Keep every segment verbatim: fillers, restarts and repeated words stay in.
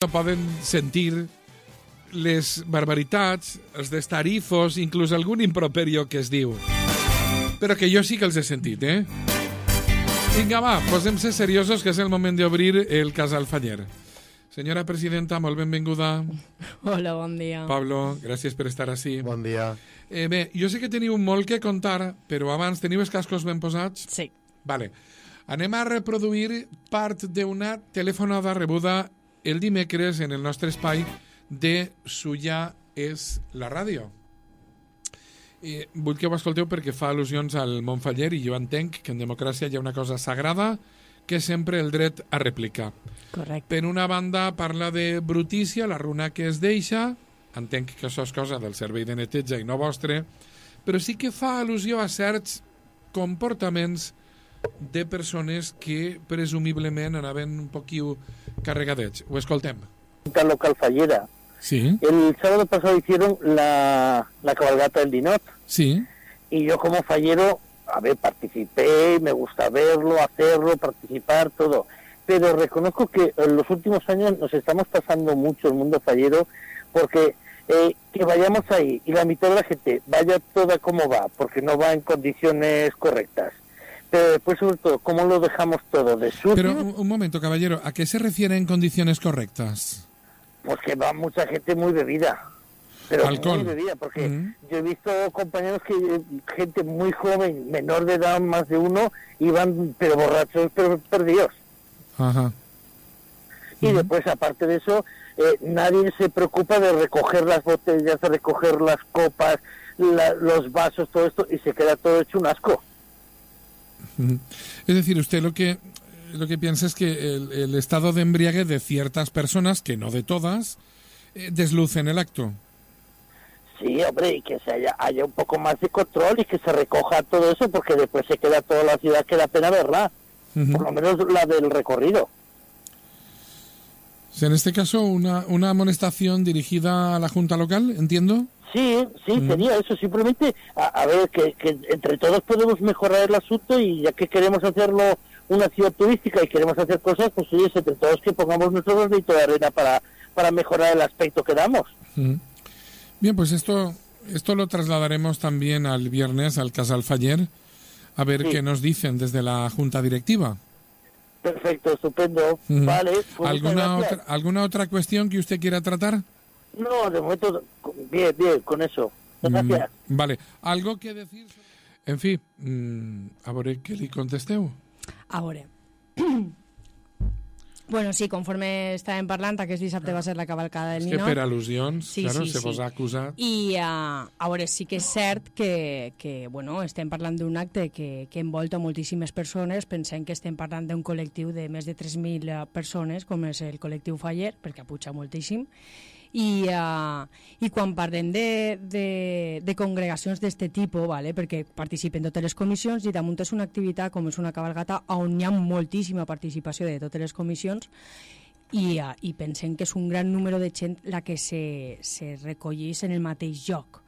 no poden sentir les barbaritats, els destarifos, inclús algun improperio que es diu. Però que jo sí que els he sentit, eh? Vinga, va, posem-se seriosos, que és el moment d'obrir el Casal Faller. Senyora presidenta, molt benvinguda. Hola, bon dia. Pablo, gràcies per estar ací. Bon dia. Eh, bé, jo sé que teniu molt que contar, però abans teniu els cascos ben posats? Sí. Vale. Anem a reproduir part d'una telefonada rebuda el dimecres en el nostre espai de Suya és la ràdio. Eh, vull que ho escolteu perquè fa al·lusions al Montfaller i jo entenc que en democràcia hi ha una cosa sagrada que és sempre el dret a replicar. Correcte. Per una banda parla de brutícia, la runa que es deixa, entenc que això és cosa del servei de neteja i no vostre, però sí que fa al·lusió a certs comportaments de persones que presumiblement anaven un poquiu carregadets. Ho escoltem. Local Fallera. Sí. El sábado pasado hicieron la, la cabalgata del Dinot. Sí. Y yo como fallero, a ver, participé, me gusta verlo, hacerlo, participar, todo. Pero reconozco que en los últimos años nos estamos pasando mucho el mundo fallero porque eh, que vayamos ahí y la mitad de la gente vaya toda como va, porque no va en condiciones correctas. Pero después, sobre todo, ¿cómo lo dejamos todo de sucio? Pero un, un momento, caballero, ¿a qué se refiere en condiciones correctas? Pues que va mucha gente muy bebida. Pero Alcohol. muy bebida, porque Mm. yo he visto compañeros que, gente muy joven, menor de edad, más de uno, iban, pero borrachos, pero perdidos. Ajá. Y Mm. después, aparte de eso, eh, nadie se preocupa de recoger las botellas, de recoger las copas, la, los vasos, todo esto, y se queda todo hecho un asco. Mm. Es decir, usted lo que lo que piensa es que el, el estado de embriague de ciertas personas, que no de todas, eh, deslucen el acto. Sí, hombre, y que se haya, haya un poco más de control y que se recoja todo eso, porque después se queda toda la ciudad que da pena verla, Uh-huh. por lo menos la del recorrido. O sea, en este caso, una, una amonestación dirigida a la Junta Local, ¿entiendo? Sí, sí, Mm. sería eso, simplemente, a, a ver, que, que entre todos podemos mejorar el asunto y ya que queremos hacerlo una ciudad turística y queremos hacer cosas, pues oye, entre todos que pongamos nuestro granito de arena para, para mejorar el aspecto que damos. Uh-huh. Bien, pues esto, esto lo trasladaremos también al viernes al Casal Faller, a ver Sí. qué nos dicen desde la Junta Directiva. Perfecto, estupendo. Uh-huh. Vale, pues muchas ¿Alguna gracias. otra, ¿Alguna otra cuestión que usted quiera tratar? No, de momento, bien, bien, con eso. Gracias. Mm, vale. ¿Algo que decir? En fi, mm, a veure què li contesteu. A veure. Bueno, sí, conforme estàvem parlant, aquest dissabte va ser la cavalcada del És que Ninot. per al·lusions, Sí, claro, sí, se sí. vos ha acusat. I uh, a veure, sí que és cert que, que bueno, estem parlant d'un acte que, que envolta moltíssimes persones. Pensem que estem parlant d'un col·lectiu de més de tres mil persones, com és el col·lectiu Faller, perquè apuja moltíssim. I, uh, i quan parlem de, de, de congregacions d'aquest tipus, vale, perquè participen totes les comissions i damunt és una activitat com és una cabalgata on hi ha moltíssima participació de totes les comissions i, uh, i pensem que és un gran número de gent la que se, se recollís en el mateix lloc.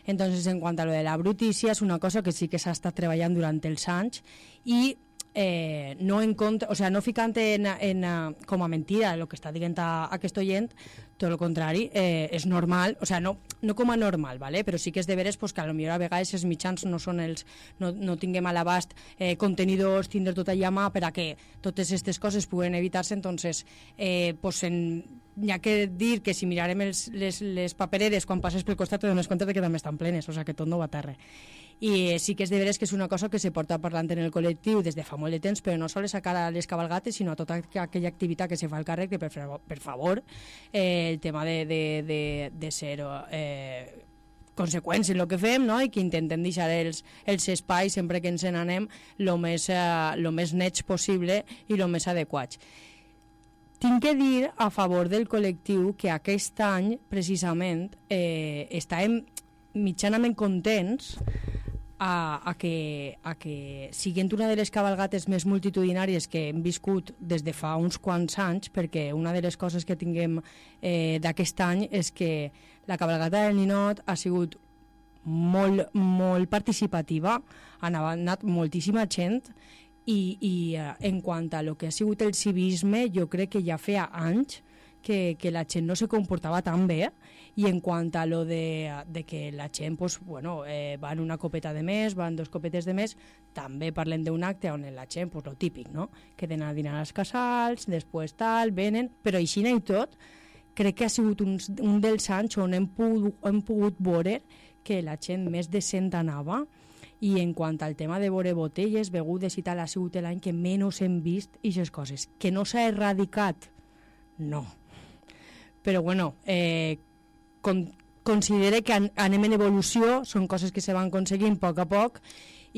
Entonces, en quant a lo de la brutícia, és una cosa que sí que s'ha estat treballant durant els anys i Eh, no en contra, o sea, no ficant en, en, uh, com a mentira el que està dient a, a aquest oient, tot el contrari, eh, és normal, o sea, no, no com a normal, ¿vale? Però sí que és de veres pues, que a lo millor a vegades els mitjans no són els, no, no tinguem a l'abast eh, contenidors, tindre tot allà a mà per a que totes aquestes coses puguen evitar-se, entonces eh, pues en, hi ha que dir que si mirarem els, les, les papereres quan passes pel costat te dones compte que també estan plenes, o sea que tot no va a terra. I sí que és de veres que és una cosa que se porta parlant en el col·lectiu des de fa molt de temps, però no sols a cara a les cabalgates, sinó a tota aquella activitat que se fa al càrrec, que per, per favor eh, el tema de, de, de, de ser eh, conseqüents en el que fem, no? I que intentem deixar els, els espais sempre que ens n'anem el més, eh, lo més nets possible i el més adequats. Tinc que dir a favor del col·lectiu que aquest any, precisament, eh, estàvem mitjanament contents a, a, que, a que siguent una de les cabalgates més multitudinàries que hem viscut des de fa uns quants anys, perquè una de les coses que tinguem eh, d'aquest any és que la cabalgata del Ninot ha sigut molt, molt participativa, han anat moltíssima gent i, i uh, en quant a lo que ha sigut el civisme, jo crec que ja feia anys que, que la gent no se comportava tan bé, i en quant a lo de, de que la gent pues, bueno, eh, van una copeta de més, van dos copetes de més, també parlem d'un acte on la gent, pues, lo típic, no? Queden a dinar als casals, després tal, venen, però així i tot, crec que ha sigut un, un dels anys on hem pogut, hem pogut veure que la gent més decent anava, i en quant al tema de veure botelles, begudes i tal, ha sigut l'any que menys hem vist aquestes coses. Que no s'ha erradicat? No. Però bueno, eh, con, considere que an, anem en evolució, són coses que se van aconseguint a poc a poc,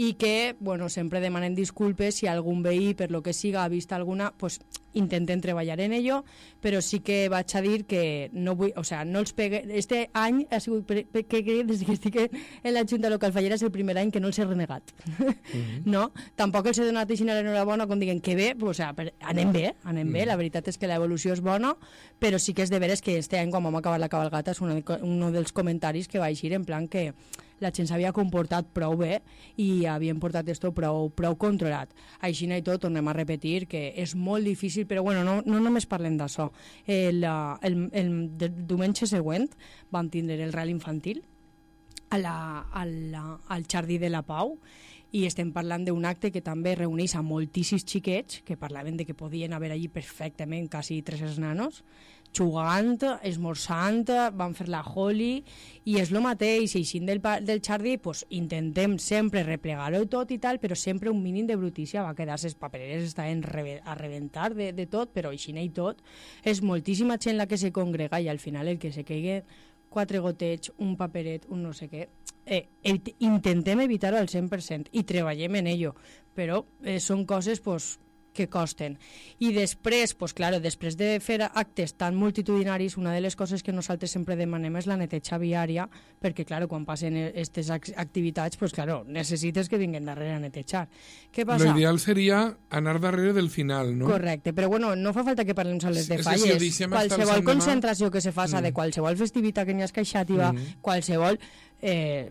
i que, bueno, sempre demanem disculpes si algun veí, per lo que siga, ha vist alguna, pues intentem treballar en ello, però sí que vaig a dir que no vull, o sea, no els pegue... Este any ha sigut, que, que, des que estic en la Junta Local Fallera, és el primer any que no els he renegat. Mm-hmm. No? Tampoc els he donat així l'enhorabona quan diguen que bé, pues, o sea, per, anem bé, anem mm. bé, la veritat és que l'evolució és bona, però sí que és de veres que este any, quan vam acabar la cabalgata, és un, un dels comentaris que va eixir en plan que la gent s'havia comportat prou bé i havien portat esto prou, prou controlat. Així i tot, tornem a repetir que és molt difícil, però bueno, no, no només parlem d'això. El, el, el, el diumenge següent vam tindre el Rally Infantil a la, a la, al Jardí de la Pau, i estem parlant d'un acte que també reuneix a moltíssims xiquets que parlaven de que podien haver allí perfectament quasi tres nanos, jugant, esmorzant, van fer la Holi, i és el mateix, i així del, del jardí, pues, intentem sempre replegar-ho tot i tal, però sempre un mínim de brutícia, va quedar les papereres estaven a rebentar de, de tot, però així i tot, és moltíssima gent la que se congrega, i al final el que se caigui quatre gotets, un paperet, un no sé què, eh, intentem evitar-ho al cent per cent i treballem en ello, però eh, són coses pues, que costen. I després, pues, claro, després de fer actes tan multitudinaris, una de les coses que nosaltres sempre demanem és la neteja viària, perquè, claro, quan passen aquestes activitats, pues, claro, necessites que vinguin darrere a netejar. Què passa? L'ideal seria anar darrere del final, no? Correcte, però bueno, no fa falta que parlem sols de falles. Si si qualsevol concentració que se faça mm. de qualsevol festivitat que n'hi ha escaixativa, mm. qualsevol... Eh,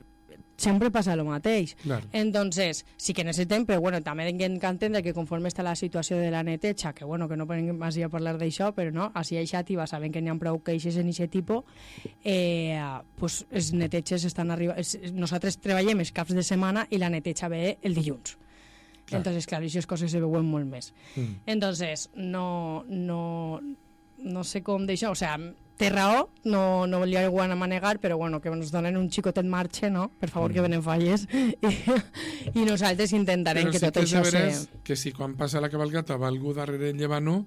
sempre passa el mateix. Claro. Entonces, sí que necessitem, però bueno, també hem d'entendre que conforme està la situació de la neteja, que bueno, que no podem així a parlar d'això, però no, així a Xàtiva sabem que n'hi ha prou queixes en aquest tipus, eh, pues els neteges estan arribant... Nosaltres treballem els caps de setmana i la neteja ve el dilluns. Claro. Entonces, clar, aquestes coses se veuen molt més. Mm. Entonces, no, no, no sé com d'això, o sigui, té raó, no, no li ho a manegar, però bueno, que ens donen un xicotet marxe, no? Per favor, mm. que venen falles. I, i nosaltres intentarem però que sí tot que això se... se... que si quan passa la cabalgata va algú darrere llevant-ho,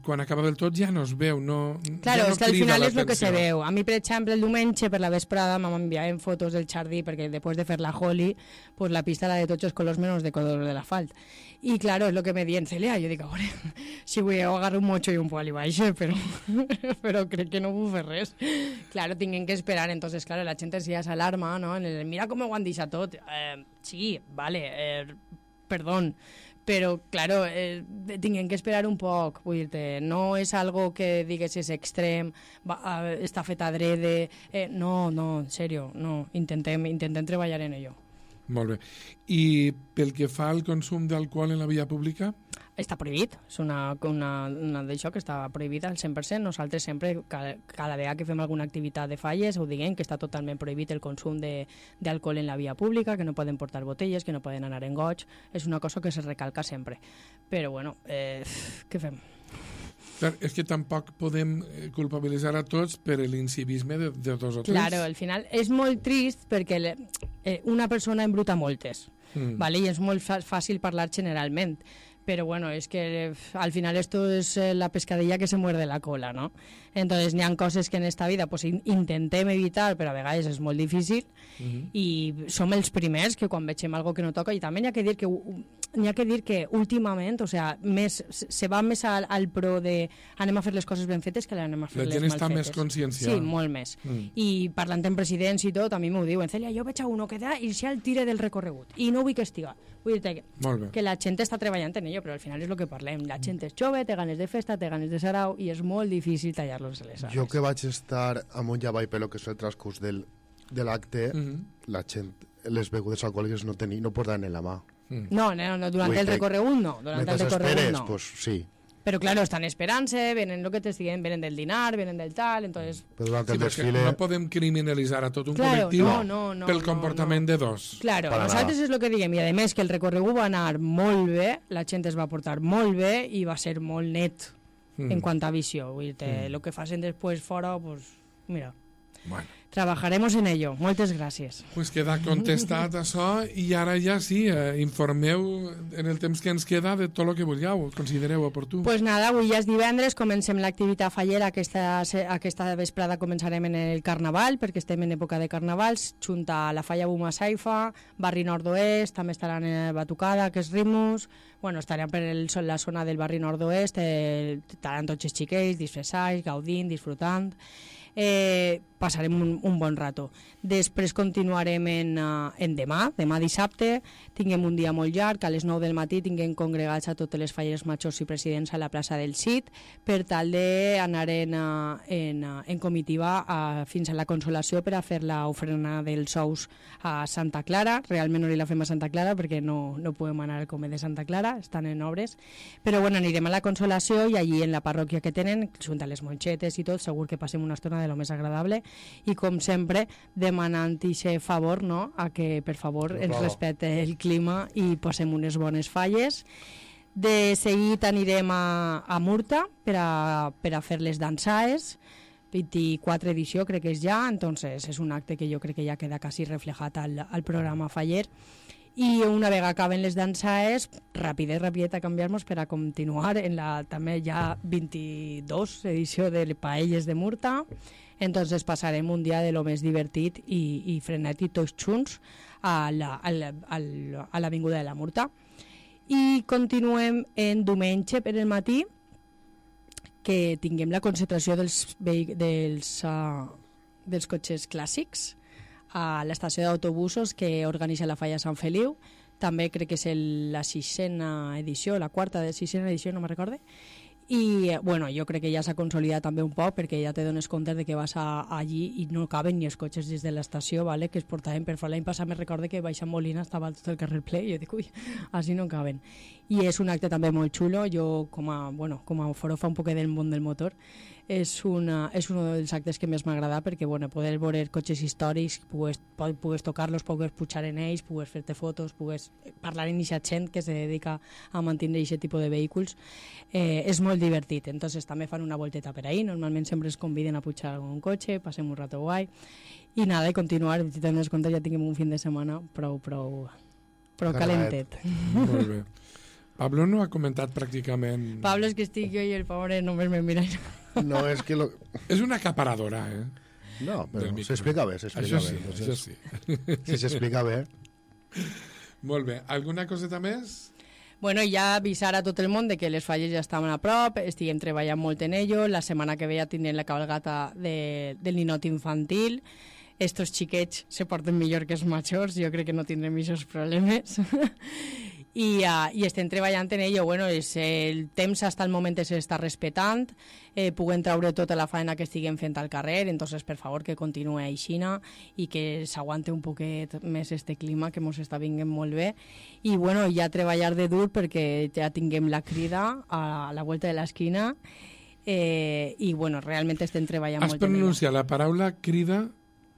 quan acaba del tot ja no es veu, no, claro, ja no és que al final és el que se l'atenció. veu. A mi, per exemple, el diumenge per la vesprada m'enviaven fotos del jardí perquè després de fer la Holi, pues la pista era de tots els colors menys de color de l'asfalt. I claro, és el que me dient, Celia, jo dic, a veure, si vull agarrar un mocho i un poli baix, però, però crec que no vull fer res. Claro, tinguem que esperar, entonces, claro, la gent ja s'alarma, no? En el, mira com ho han deixat tot. Eh, sí, vale, eh, perdón, però, claro, eh, tinguem que esperar un poc, vull dir-te, no és algo que digues és extrem, va, eh, està fet adrede, eh, no, no, en sèrio, no, intentem, intentem treballar en ello. Molt bé. I pel que fa al consum d'alcohol en la via pública? Està prohibit, és una, una, una d'això que està prohibida al cent per cent. Nosaltres sempre, cada, cada vegada que fem alguna activitat de falles, ho diguem que està totalment prohibit el consum d'alcohol en la via pública, que no poden portar botelles, que no poden anar en goig. És una cosa que se recalca sempre. Però, bueno, eh, què fem? Clar, és que tampoc podem culpabilitzar a tots per l'incivisme de, de dos o tres. Claro, al final és molt trist perquè le, eh, una persona embruta moltes, mm. ¿vale? I és molt fàcil parlar generalment. Pero bueno, es que al final esto es la pescadilla que se muerde la cola, ¿no? Entonces, n'hi ha coses que en esta vida pues, intentem evitar, però a vegades és molt difícil, uh-huh. i som els primers que quan vegem algo que no toca, i també n'hi ha que dir que n'hi ha que dir que últimament, o sea, més, se va més al, al pro de anem a fer les coses ben fetes que anem a fer les mal fetes. La gent està més conscienciada. Sí, molt més. Mm. I parlant amb presidents i tot, a mi m'ho diuen, Celia, jo veig a uno que da i si el tire del recorregut, i no vull que estiga. Vull dir que, que la gent està treballant en ello, però al final és el que parlem. La gent és jove, té ganes de festa, té ganes de sarau, i és molt difícil tallar-los les ales. Jo que vaig estar a Montllavall pel que és el transcurs del, de l'acte, mm-hmm. la gent, les begudes alcohòliques no, teni, no portaven en la mà. Mm. No, no, no, durant Vull el recorregut no. Durant el recorregut esperes, no. Pues, sí. Pero claro, están esperant-se, venen lo que te siguen, venen del dinar, venen del tal, entonces... Però durant Sí, el perquè desfile... no podem criminalitzar a tot un Claro, col·lectiu no, no, no, pel no, comportament no. de dos. Claro, Para nosaltres nada. és el que diguem, i a més que el recorregut va anar molt bé, la gent es va portar molt bé i va ser molt net Mm. en quant a visió. Vull dir, mm. lo que facin després fora, pues, mira, Bueno, trabajaremos en ello. Moltes gràcies. pues queda contestat això i ara ja sí, eh, informeu en el temps que ens queda de tot el que vulgueu, considereu oportú. Pues nada, avui ja és divendres, comencem l'activitat fallera, aquesta, aquesta vesprada començarem en el Carnaval, perquè estem en època de Carnavals, junt a la Falla Buma Saifa, Barri Nord-Oest, també estaran en Batucada, que és Ritmus, bueno, estaran per el, la zona del Barri Nord-Oest, eh, estaran tots els xiquets, disfressats, gaudint, disfrutant... Eh, passarem un, un bon rato. Després continuarem en, uh, en demà, demà dissabte, tinguem un dia molt llarg, a les nou del matí tinguem congregats a totes les falles majors i presidents a la plaça del Cid, per tal d'anar en, uh, en, uh, en comitiva uh, fins a la Consolació per a fer l'ofrena dels ous a Santa Clara. Realment no li la fem a Santa Clara perquè no, no podem anar al Comer de Santa Clara, estan en obres, però bueno, anirem a la Consolació i allí en la parròquia que tenen, junt a les monxetes i tot, segur que passem una estona de lo més agradable i com sempre demanant aquest favor, no? A que per favor ens respecte el clima i posem unes bones falles. De seguit anirem a, a Murta per a, per a fer les dansaes, vint-i-quatre edició crec que és ja, entonces és un acte que jo crec que ja queda quasi reflejat al, al programa faller. I una vegada acaben les dansaes, rapidet, rapidet a canviar-nos per a continuar en la també ja vint-i-dos edició de Paelles de Murta. Entonces passarem un dia de lo més divertit i, i frenètic tots junts a la, a la, a l'Avinguda de la Murta. I continuem en diumenge per el matí, que tinguem la concentració dels, dels, uh, dels cotxes clàssics a l'estació d'autobusos que organitza la Falla Sant Feliu. També crec que és el, la sisena edició, la quarta de sisena edició, no me recorde. I bueno, jo crec que ja s'ha consolidat també un poc perquè ja te dones compte de que vas a, allí i no caben ni els cotxes des de l'estació, vale? Que es portaven per fora. L'any passat me recorde que baixant Molina estava tot el carrer ple i jo dic, ui, així no caben. I és un acte també molt xulo. Jo com a, bueno, com a forofa un poquet del món del motor, és, una, és un dels actes que més m'agrada perquè bueno, poder veure cotxes històrics, pugues, pugues tocar-los, pugues pujar en ells, pugues fer-te fotos, pugues parlar amb aquesta gent que se dedica a mantenir aquest tipus de vehicles, eh, és molt divertit. Entonces també fan una volteta per ahí, normalment sempre es conviden a pujar un cotxe, passem un rato guai i nada, i continuar, si te'n des compte ja tinguem un fin de setmana prou, prou, prou calentet. Molt bé. Pablo no ha comentat pràcticament... Pablo, és que estic jo i el pobre només me mira. No, és que... Lo... És una acaparadora, eh? No, però s'explica bé, s'explica això sí, bé. Això sí. Si s'explica bé. Molt bé. Alguna coseta més? Bueno, ja avisar a tot el món de que les falles ja estaven a prop, estiguem treballant molt en ello, la setmana que ve ja tindrem la cabalgata de, del ninot infantil, estos xiquets se porten millor que els majors, jo crec que no tindrem aquests problemes. I, uh, i estem treballant en ello. Bueno, és, el temps hasta el moment s'està respetant, eh, puguem treure tota la feina que estiguem fent al carrer, entonces per favor que continuï aixina i que s'aguante un poquet més este clima que ens està vinguent molt bé. I bueno, ja treballar de dur perquè ja tinguem la crida a la volta de l'esquina, eh, i bueno, realment estem treballant Has molt en ello. Has pronunciat la paraula crida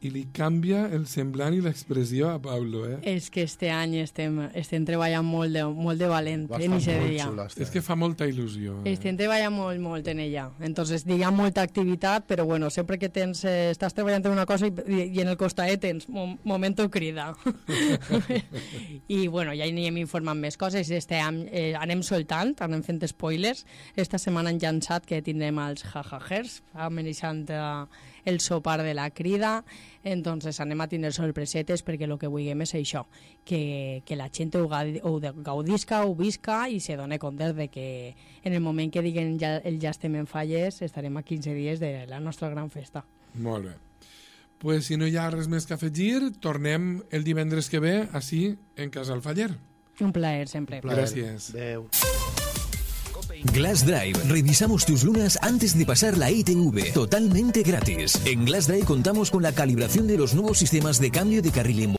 i li canvia el semblant i l'expressió a Pablo, eh? És que este any estem, estem treballant molt de, molt de valent Va en estar aquest molt dia. xula, este És que fa molta il·lusió. Eh? Estem treballant molt, molt en ella. Entonces, hi ha molta activitat, però bueno, sempre que tens, eh, estàs treballant en una cosa i, i en el costaet tens un momento crida. I bueno, ja anirem informant més coses. Este any eh, anem soltant, anem fent spoilers. Esta setmana han llançat que tindrem els jajajers, amenaçant eh, el sopar de la crida. Entonces anem a tindre sorpresetes perquè el que vulguem és això, que, que la gent ho, ho gaudisca, ho visca i se doni compte de que en el moment que diguen ja, el ja estem en falles estarem a quinze dies de la nostra gran festa. Molt bé. Pues si no hi ha res més que afegir, tornem el divendres que ve així en Casal Faller. Un plaer sempre. Plaer. Gracias. Adeu. Glass Drive, revisamos tus lunas antes de pasar la I T V, totalmente gratis. En Glass Drive contamos con la calibración de los nuevos sistemas de cambio de carril en